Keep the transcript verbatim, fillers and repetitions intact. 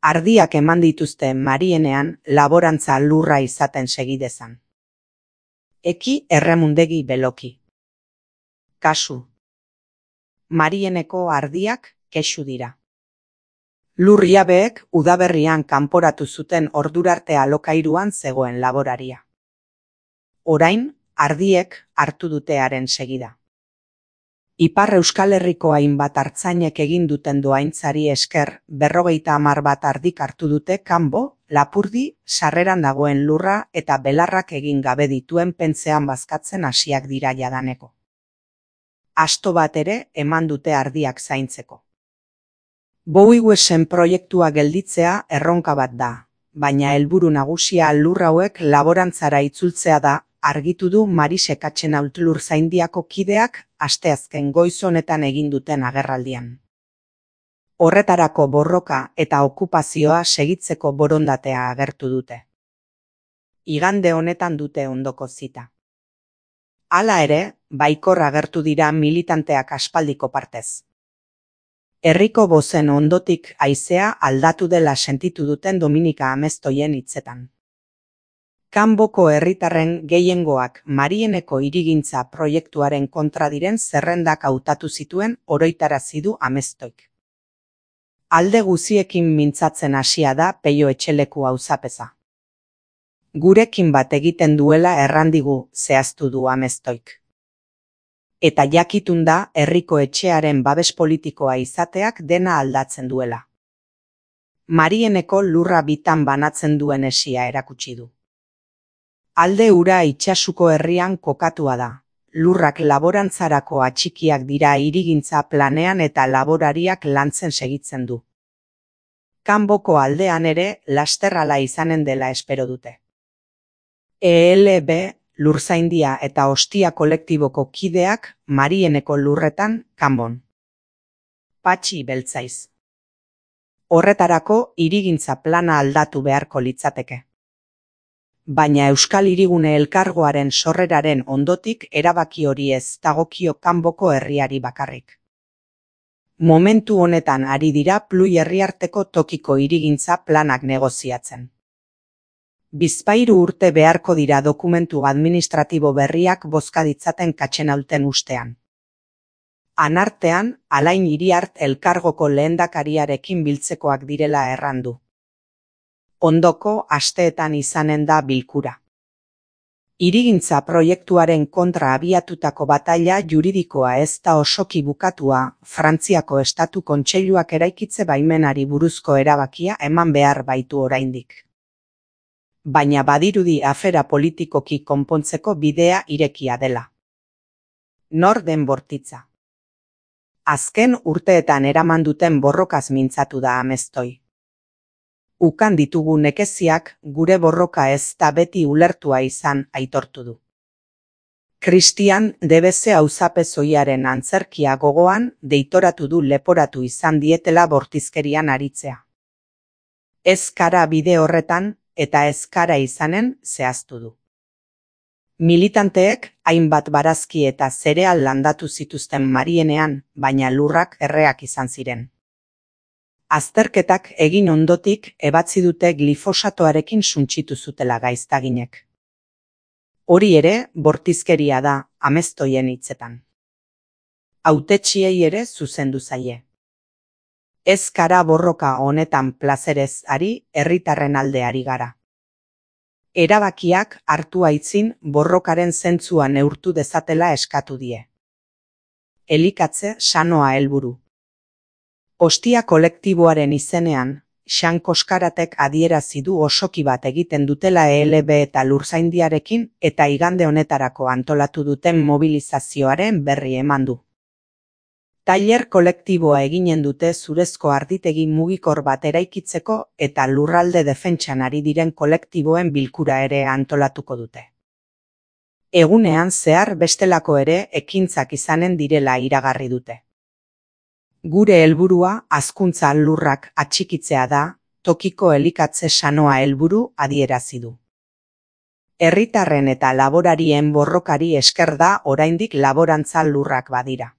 Ardiak eman dituzte Marienean laborantza lurra izaten segidezan. Eki erremundegi beloki. Kasu. Marieneko ardiak kexu dira. Lurjabeek udaberrian kanporatu zuten ordurarte alokairuan zegoen laboraria. Orain, ardiek hartu dutearen segida. Ipar Euskal Herriko hainbat artzainek egin duten doaintzari esker berrogeita hamar bat ardik hartu dute kanbo, Lapurdi, sarreran dagoen lurra eta belarrak egin gabe dituen pentzean bazkatzen hasiak dira jadaneko. Asto bat ere eman dute ardiak zaintzeko. Bowiesen proiektua gelditzea erronka bat da, baina helburu nagusia lur hauek laborantzara itzultzea da, argitu du Marise Katxenault Lurzaindiako kideak asteazken goiz honetan egin duten agerraldian. Horretarako borroka eta okupazioa segitzeko borondatea agertu dute. Igande honetan dute ondoko zita. Hala ere, baikor agertu dira militanteak aspaldiko partez. Herriko bozen ondotik haizea aldatu dela sentitu duten Dominika Amestoien hitzetan. Kanboko herritarren gehiengoak Marieneko hirigintza proiektuaren kontra diren zerrendak hautatu zituen oroitarazi du Amestoik. Alde guziekin mintzatzen hasia da Peio Etxeleku auzapeza. Gurekin bat egiten duela errandigu zehaztu du Amestoik. Eta jakitun da herriko etxearen babes politikoa izateak dena aldatzen duela. Marieneko lurra bitan banatzen duen esia erakutsi du. Alde ura itsasuko herrian kokatua da. Lurrak laborantzarako atxikiak dira hirigintza planean eta laborariak lantzen segitzen du. Kanboko aldean ere lasterrala izanen dela espero dute. E L B, Lurzaindia eta Ostia kolektiboko kideak Marieneko lurretan kanbon. Patxi beltzaiz. Horretarako hirigintza plana aldatu beharko litzateke. Baina Euskal Hirigune Elkargoaren sorreraren ondotik erabaki hori ez dagokio kanboko herriari bakarrik. Momentu honetan ari dira Plui herriarteko tokiko hirigintza planak negoziatzen. Bizpahiru urte beharko dira dokumentu administratibo berriak bozka ditzaten Katxenaulten ustean. Anartean, Alain Iriart Elkargoko lehendakariarekin biltzekoak direla errandu. Ondoko asteetan izanen da bilkura. Hirigintza proiektuaren kontra abiatutako bataila juridikoa ez da osoki bukatua, Frantziako Estatu Kontseiluak eraikitze baimenari buruzko erabakia eman behar baitu oraindik. Baina badirudi afera politikoki konpontzeko bidea irekia dela. Nor den Bortitza. Azken urteetan eraman duten borrokaz mintzatu da Amestoi. Ukan ditugu nekeziak gure borroka ez da beti ulertua izan aitortu du. Christian Debeze auzapezoiaren antzerkia gogoan deitoratu du leporatu izan dietela bortizkerian aritzea. Ez kara bide horretan eta ez kara izanen zehaztu du. Militanteek hainbat barazki eta zereal landatu zituzten Marienean, baina lurrak erreak izan ziren. Azterketak egin ondotik ebatzi dute glifosatoarekin suntsitu zutela gaiztaginek. Hori ere bortizkeria da Amestoien hitzetan. Hautetsiei ere zuzendu zaie. Ez kara borroka honetan plazerez ari, herritarren alde ari gara. Erabakiak hartu aitzin borrokaren zentzua neurtu dezatela eskatu die. Elikatze sanoa helburu. Ostia kolektiboaren izenean, Xan Koskaratek adierazi du osoki bat egiten dutela E L B eta Lurzaindiarekin eta igande honetarako antolatu duten mobilizazioaren berri eman du. Tailer kolektiboa eginen dute zurezko arditegi mugikor bat eraikitzeko eta lurralde defentsan ari diren kolektiboen bilkura ere antolatuko dute. Egunean zehar bestelako ere ekintzak izanen direla iragarri dute. Gure helburua hazkuntza lurrak atxikitzea da, tokiko elikatze sanoa helburu adierazi du. Herritarren eta laborarien borrokari esker da oraindik laborantza lurrak badira.